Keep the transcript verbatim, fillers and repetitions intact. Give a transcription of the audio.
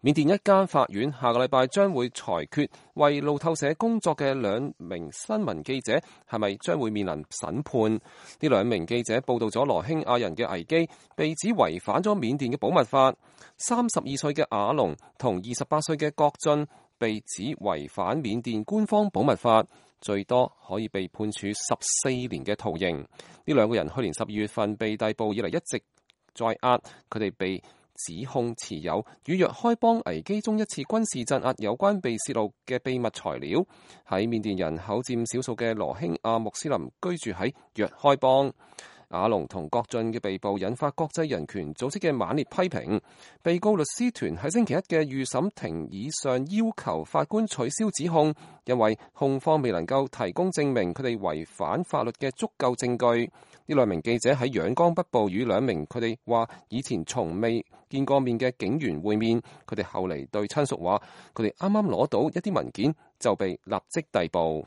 緬甸一間法院下個禮拜將會裁決，為路透社工作嘅兩名新聞記者係咪將會面臨審判。呢兩名記者報道咗羅興亞人嘅危機，被指違反咗緬甸嘅保密法。三十二歲嘅阿龍同二十八歲嘅郭俊被指違反緬甸官方保密法，最多可以被判處十四年嘅徒刑。呢兩個人去年十二月份被逮捕以嚟一直在押，佢哋被指控持有與若開邦危機中一次軍事鎮壓有關被泄露嘅秘密材料。喺緬甸人口佔少數嘅羅興亞穆斯林居住喺若開邦。阿龍同郭俊嘅被捕引發國際人權組織嘅猛烈批評。被告律師團喺星期一嘅預審庭以上要求法官取消指控，因為控方未能夠提供證明佢哋違反法律嘅足夠證據。呢兩名記者喺仰光北部與兩名佢哋話以前從未見過面嘅警員會面，佢哋後嚟對親屬話佢哋啱啱攞到一啲文件就被立即逮捕。